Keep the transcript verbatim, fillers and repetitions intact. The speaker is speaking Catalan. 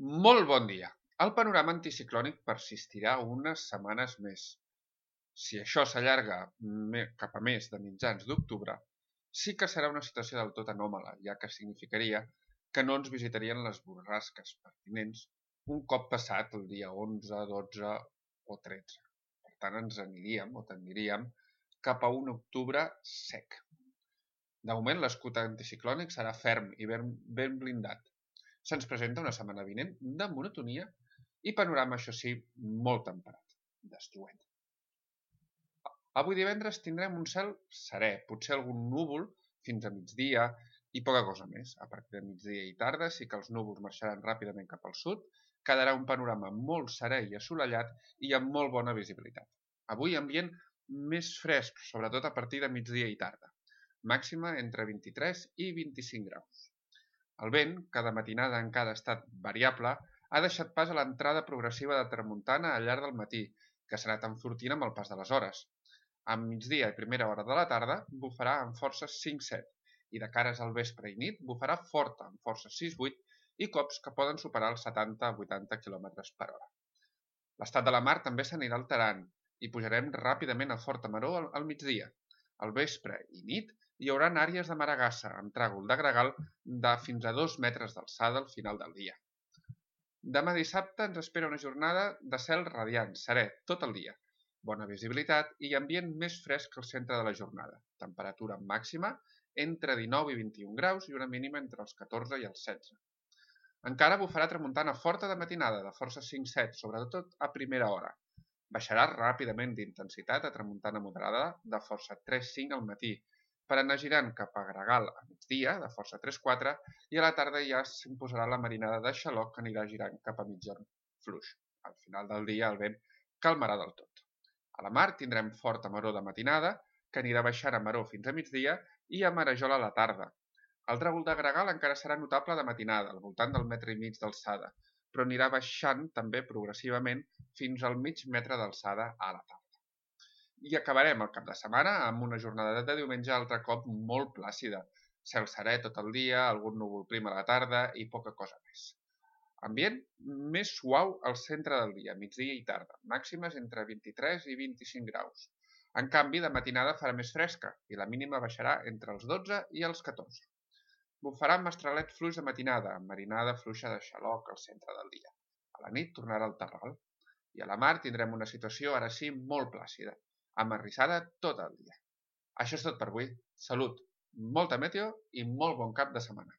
Molt bon dia. El panorama anticiclònic persistirà unes setmanes més. Si això s'allarga cap a més de mitjans d'octubre, sí que serà una situació del tot anòmala, ja que significaria que no ens visitarien les borrasques pertinents un cop passat el dia onze, dotze o tretze. Per tant, ens aniríem o tendiríem cap a un octubre sec. De moment, l'escut anticiclònic serà ferm i ben, ben blindat. Se'ns presenta una setmana vinent de monotonia i panorama, això sí, molt temperat, d'estiuet. Avui divendres tindrem un cel serè, potser algun núvol fins a migdia i poca cosa més. A partir de migdia i tarda sí que els núvols marxaran ràpidament cap al sud, quedarà un panorama molt serè i assolellat i amb molt bona visibilitat. Avui ambient més fresc, sobretot a partir de migdia i tarda, màxima entre vint-i-tres i vint-i-cinc graus. El vent, que de matinada encara ha estat variable, ha deixat pas a l'entrada progressiva de tramuntana al llarg del matí, que s'ha anat enfortint amb el pas de les hores. A migdia i primera hora de la tarda bufarà amb forces cinc set i de cares al vespre i nit bufarà forta amb forces sis vuit i cops que poden superar els setanta a vuitanta quilòmetres per hora. L'estat de la mar també s'anirà alterant i pujarem ràpidament a forta maró al, al migdia. Al vespre i nit hi haurà àrees de maragassa amb tràgol de gregal de fins a dos metres d'alçada al final del dia. Demà dissabte ens espera una jornada de cel radiant, serè, tot el dia. Bona visibilitat i ambient més fresc al centre de la jornada. Temperatura màxima entre dinou i vint-i-un graus i una mínima entre els catorze i els setze. Encara bufarà tramuntana forta de matinada, de força cinc set, sobretot a primera hora. Baixarà ràpidament d'intensitat a tramuntana moderada de força tres cinc al matí, per anar girant cap a Gregal a migdia, de força tres quatre, i a la tarda ja s'imposarà la marinada de xaloc que anirà girant cap a mitjan fluix. Al final del dia el vent calmarà del tot. A la mar tindrem forta maror de matinada, que anirà baixant a maror fins a migdia i a marejol a la tarda. El tràgol de gregal encara serà notable de matinada, al voltant del metre i mig d'alçada, però anirà baixant també progressivament fins al mig metre d'alçada a la tarda. I acabarem el cap de setmana amb una jornada de diumenge altre cop molt plàcida. Cel serè tot el dia, algun núvol prim a la tarda i poca cosa més. Ambient més suau al centre del dia, migdia i tarda, màximes entre vint-i-tres i vint-i-cinc graus. En canvi, de matinada farà més fresca i la mínima baixarà entre els dotze i els catorze. Bufarà amb mestralet fluix de matinada, amb marinada fluixa de xaloc al centre del dia. A la nit tornarà el terral. I a la mar tindrem una situació ara sí molt plàcida, amarrissada tot el dia. Això és tot per avui. Salut, molta meteo i molt bon cap de setmana.